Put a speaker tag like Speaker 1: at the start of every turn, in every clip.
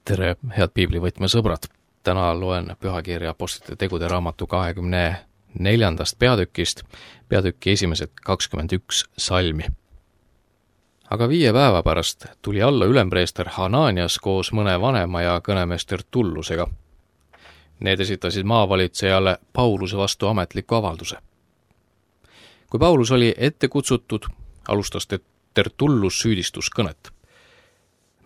Speaker 1: Tere, head piiblivõtme sõbrad! Täna loen pühakirja Apostlite tegude raamatu 24. peatükist, peatüki esimesed 21 salmi. Aga 5 päeva pärast tuli alla ülempreester Hananias koos mõne vanema ja kõnemees Tertullusega. Need esitasid maavalitsejale Pauluse vastu ametliku avalduse. Kui Paulus oli ette kutsutud, alustas Tertullus süüdistuskõnet.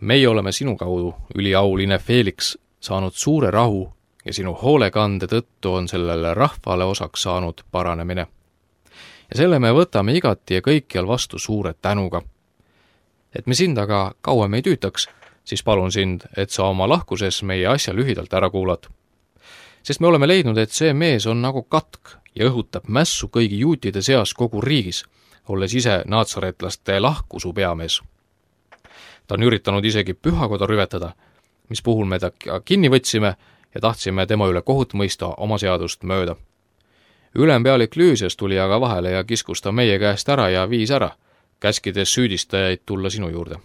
Speaker 1: Meie oleme sinu kaudu, üliauline Felix, saanud suure rahu ja sinu hoolekande tõttu on sellele rahvale osaks saanud paranemine. Ja selle me võtame igati ja kõikjal vastu suure tänuga. Et me sind aga kauem ei tüütaks, siis palun sind, et sa oma lahkuses meie asja lühidalt ära kuulad. Sest me oleme leidnud, et see mees on nagu katk ja õhutab mässu kõigi juutide seas kogu riigis, olles ise naatsaretlaste lahkusu peamees. Ta on üritanud isegi pühakoda rüvetada, mis puhul me ta kinni võtsime ja tahtsime tema üle kohut mõista oma seadust mööda. Ülempealik Lüüsias tuli aga vahele ja kiskus ta meie käest ära ja viis ära, käskides süüdistajaid tulla sinu juurde.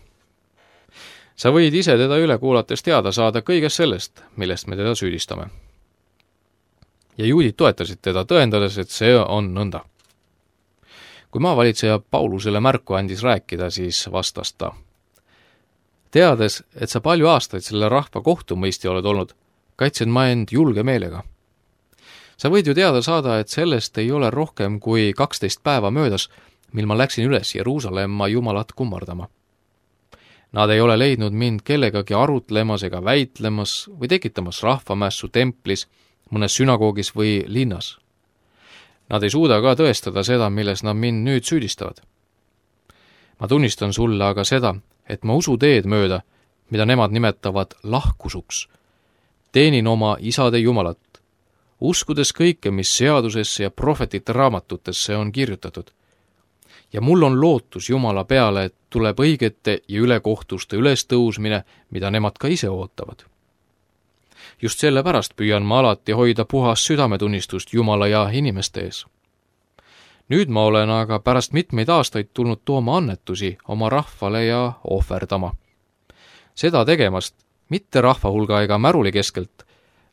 Speaker 1: Sa võid ise teda üle kuulates teada saada kõigest sellest, millest me teda süüdistame. Ja juudid toetasid teda, tõendades, et see on nõnda. Kui maavalitseja Paulusele märku andis rääkida, siis vastas ta. Teades, et sa palju aastaid selle rahva kohtumõistja oled olnud, kaitsen ma end julge meelega. Sa võid ju teada saada, et sellest ei ole rohkem kui 12 päeva möödas, mil ma läksin üles Jeruusalemma Jumalat kummardama. Nad ei ole leidnud mind kellegagi arutlemas ega väitlemas või tekitamas rahvamässu templis, mõnes sünagoogis või linnas. Nad ei suuda ka tõestada seda, milles nad mind nüüd süüdistavad. Ma tunnistan sulle aga seda, et ma usu teed mööda, mida nemad nimetavad lahkusuks. Teenin oma isade Jumalat, uskudes kõike, mis seadusesse ja prohvetite raamatutesse on kirjutatud. Ja mul on lootus Jumala peale, et tuleb õigete ja ülekohtuste ülestõusmine, mida nemad ka ise ootavad. Just sellepärast püüan ma alati hoida puhas südametunnistust Jumala ja inimeste ees. Nüüd ma olen aga pärast mitmeid aastaid tulnud tooma annetusi oma rahvale ja ohverdama. Seda tegemast, mitte rahva hulga ega märuli keskelt,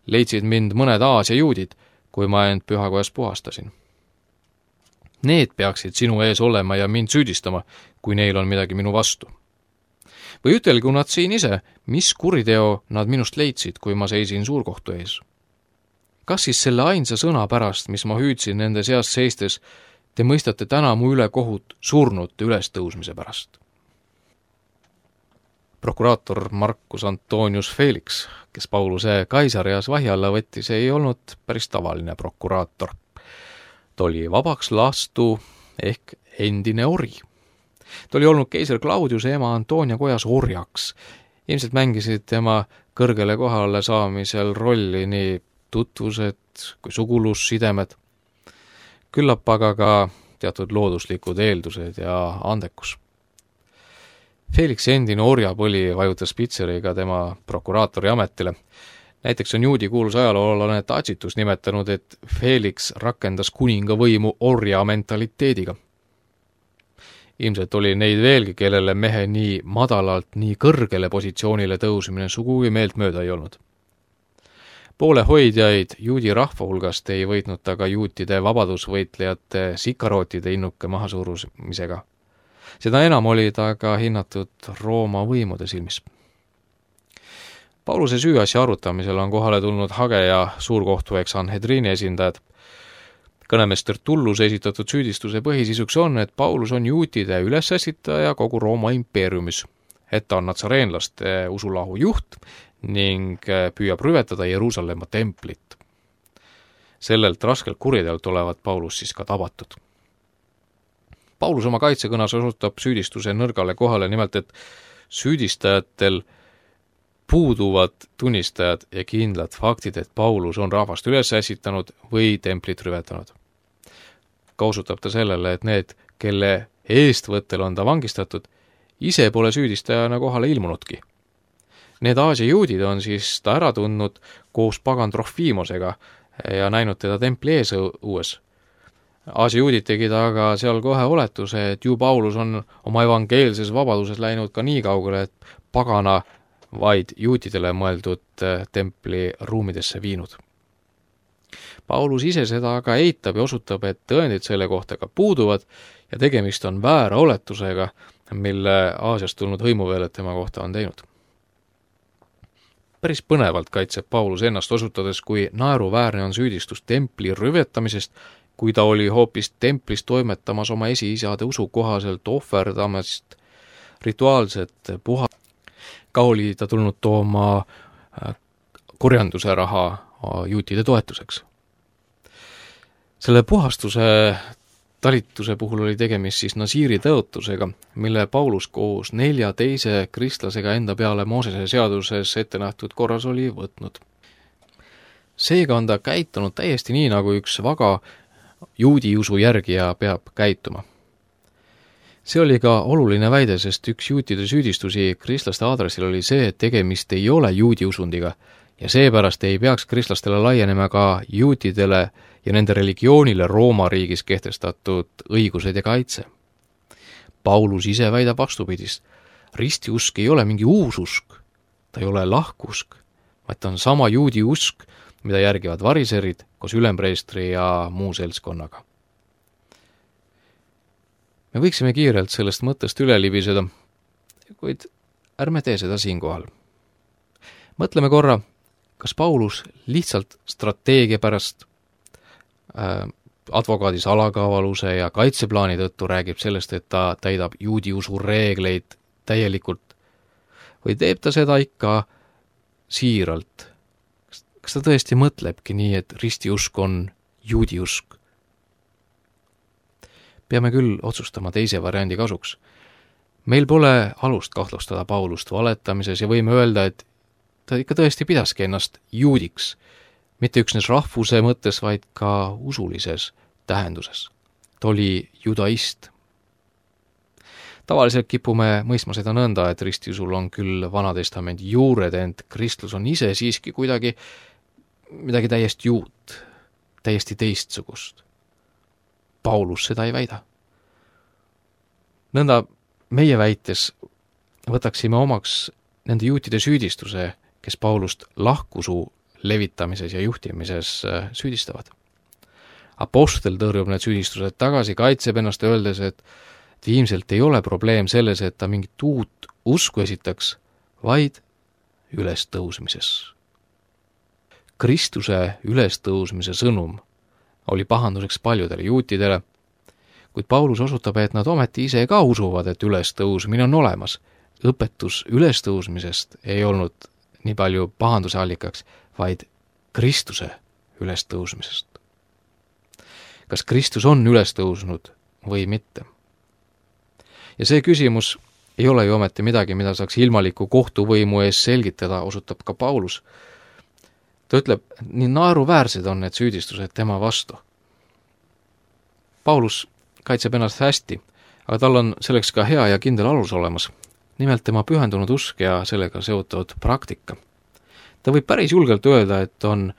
Speaker 1: leidsid mind mõned Aasia juudid, kui ma end pühakojas puhastasin. Need peaksid sinu ees olema ja mind süüdistama, kui neil on midagi minu vastu. Või ütelgu nad siin ise, mis kuriteo nad minust leidsid, kui ma seisin suurkohtu ees. Kas siis selle ainsa sõna pärast, mis ma hüüdsin nende seas seistes, te mõistate täna mu üle kohut surnute ülestõusmise pärast? Prokuraator Marcus Antonius Felix, kes Pauluse Kaisarias vahi alla võttis, ei olnud päris tavaline prokuraator. Ta oli vabaks lastu ehk endine ori. Ta oli olnud keiser Claudiuse ema Antonia kojas orjaks. Ilmselt mängisid tema kõrgele kohale saamisel rolli nii tutvused kui sugulussidemed. Küllap aga ka teatud looduslikud eeldused ja andekus. Felix endine orjapõli vajutas pitseriga tema prokuraatori ametile. Näiteks on juudi kuulus ajaloolane Tacitus nimetanud, et Felix rakendas kuninga võimu orja mentaliteediga. Ilmselt oli neid veelgi, kellele mehe nii madalalt, nii kõrgele positsioonile tõusmine sugugi meelt mööda ei olnud. Poolehoidjaid juudi rahva hulgast ei võitnud ta ka juutide vabadusvõitlejate sikarootide innuke mahasurumisega. Seda enam oli ta ka hinnatud Rooma võimude silmis. Pauluse süüasja arutamisel on kohale tulnud Hage ja suurkohtu Sanhedrini esindajad. Kõnemees Tertullus esitatud süüdistuse põhisisuks on, et Paulus on juutide ülesässitaja kogu Rooma impeeriumis, et ta on natsareenlaste usulahu juht ning püüab rüvetada Jeruusalemma templit. Sellelt raskelt kuriteolt olevat Paulus siis ka tabatud. Paulus oma kaitsekõnas osutab süüdistuse nõrgale kohale, nimelt et süüdistajatel puuduvad tunnistajad ja kindlad faktid, et Paulus on rahvast üles ässitanud või templit rüvetanud. Ka osutab ta sellele, et need, kelle eestvõttel on ta vangistatud, ise pole süüdistajana kohale ilmunudki. Need Aasia juudid on siis ta ära tundnud koos pagan Trofimosega ja näinud teda templi ees õues. Aasia juudid tegid aga seal kohe oletuse, et ju Paulus on oma evangeelses vabaduses läinud ka nii kaugele, et pagana vaid juutidele mõeldud templi ruumidesse viinud. Paulus ise seda aga eitab ja osutab, et tõendid selle kohta ka puuduvad ja tegemist on väära oletusega, mille Aasiast tulnud hõimuveeled tema kohta on teinud. Päris põnevalt kaitseb Paulus ennast osutades, kui naeruväärne on süüdistus templi rüvetamisest, kui ta oli hoopis templis toimetamas oma esiisade usu kohaselt ohverdamast rituaalset puha. Ka oli ta tulnud tooma kurjanduse raha juutide toetuseks. Selle puhastuse talituse puhul oli tegemist siis Nasiiri tõotusega, mille Paulus koos 4 teise kristlasega enda peale Moosese seaduses ette nähtud korras oli võtnud. Seega on ta käitunud täiesti nii, nagu üks vaga juudi usu järgija peab käituma. See oli ka oluline väide, sest üks juutide süüdistusi kristlaste aadressil oli see, et tegemist ei ole juudi usundiga ja seepärast ei peaks kristlastele laienema ka juutidele ja nende religioonile Rooma riigis kehtestatud õigused ja kaitse. Paulus ise väidab vastupidist. Ristiusk ei ole mingi uus usk, ta ei ole lahkusk, vaid ta on sama juudi usk, mida järgivad variserid koos ülempreestri ja muu seltskonnaga. Me võiksime kiirelt sellest mõttest üle libiseda, kuid ärme tee seda siinkohal. Mõtleme korra, kas Paulus lihtsalt strateegia pärast advokaadi salakavaluse ja kaitseplaani tõttu räägib sellest, et ta täidab juudi usu reegleid täielikult, või teeb ta seda ikka siiralt? Kas ta tõesti mõtlebki nii, et ristiusk on juudi usk? Peame küll otsustama teise variandi kasuks. Meil pole alust kahtlustada Paulust valetamises ja võime öelda, et ta ikka tõesti pidaski ennast juudiks, mitte üksnes rahvuse mõttes, vaid ka usulises tähenduses. Ta oli judaist. Tavaliselt kipume mõistma seda nõnda, et ristiusul on küll Vanatestamendi juured, ent kristlus on ise siiski kuidagi midagi täiesti uut, täiesti teistsugust. Paulus seda ei väida. Nõnda meie väites võtaksime omaks nende juutide süüdistuse, kes Paulust lahkusu levitamises ja juhtimises süüdistavad. Apostel tõrjub need süüdistused tagasi, kaitseb ennast öeldes, et ilmselt ei ole probleem selles, et ta mingit uut usku esitaks, vaid ülestõusmises. Kristuse ülestõusmise sõnum oli pahanduseks paljudele juutidele, kuid Paulus osutab, et nad ometi ise ka usuvad, et ülestõusmine on olemas. Õpetus ülestõusmisest ei olnud nii palju pahanduse allikaks, vaid Kristuse ülestõusmisest. Kas Kristus on ülestõusnud või mitte? Ja see küsimus ei ole ju ometi midagi, mida saaks ilmaliku kohtuvõimu ees selgitada, osutab ka Paulus. Ta ütleb, nii naeruväärsed on need süüdistused tema vastu. Paulus kaitseb ennast hästi, aga tal on selleks ka hea ja kindel alus olemas. Nimelt tema pühendunud usk ja sellega seotud praktika. Ta võib päris julgelt öelda, et on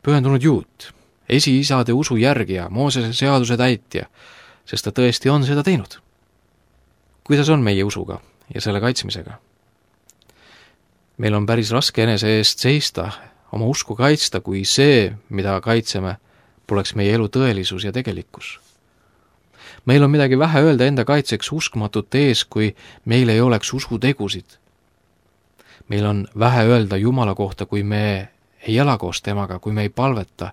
Speaker 1: pühendunud juut, esiisade usu järgija, Moosese seaduse täitja, sest ta tõesti on seda teinud. Kuidas on meie usuga ja selle kaitsmisega? Meil on päris raske enese eest seista, oma usku kaitsta, kui see, mida kaitseme, poleks meie elu tõelisus ja tegelikkus. Meil on midagi vähe öelda enda kaitseks uskmatute ees, kui meil ei oleks usutegusid. Meil on vähe öelda Jumala kohta, kui me ei ela koos temaga, kui me ei palveta.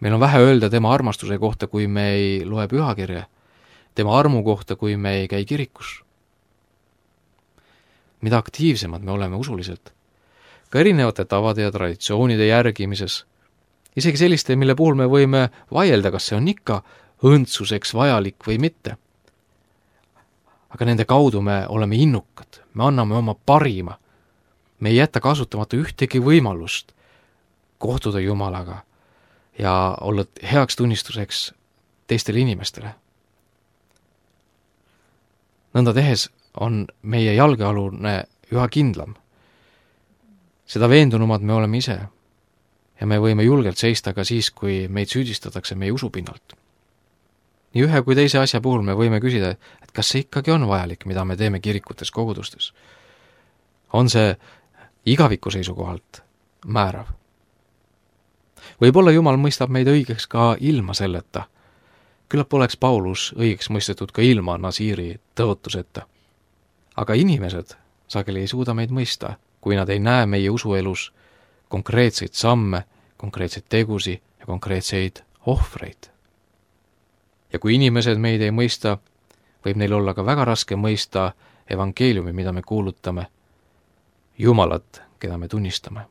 Speaker 1: Meil on vähe öelda tema armastuse kohta, kui me ei loe pühakirja, tema armu kohta, kui me ei käi kirikus. Mida aktiivsemad me oleme usuliselt, ka erinevate tavade ja traditsioonide järgimises, isegi selliste, mille puhul me võime vaielda, kas see on ikka õndsuseks vajalik või mitte. Aga nende kaudu me oleme innukad, me anname oma parima, me ei jäta kasutamata ühtegi võimalust kohtuda Jumalaga ja olla heaks tunnistuseks teistele inimestele. Nõnda tehes on meie jalgealune üha kindlam. Seda veendunumad me oleme ise ja me võime julgelt seista ka siis, kui meid süüdistatakse meie usupinnalt. Nii ühe kui teise asja puhul me võime küsida, et kas see ikkagi on vajalik, mida me teeme kirikutes, kogudustes. On see igaviku seisukohalt määrav. Võib-olla Jumal mõistab meid õigeks ka ilma selleta. Küllap oleks Paulus õigeks mõistetud ka ilma Nasiiri tõotuseta. Aga inimesed sageli ei suuda meid mõista, kui nad ei näe meie usuelus konkreetseid samme, konkreetseid tegusi ja konkreetseid ohvreid. Ja kui inimesed meid ei mõista, võib neil olla ka väga raske mõista evangeeliumi, mida me kuulutame, Jumalat, keda me tunnistame.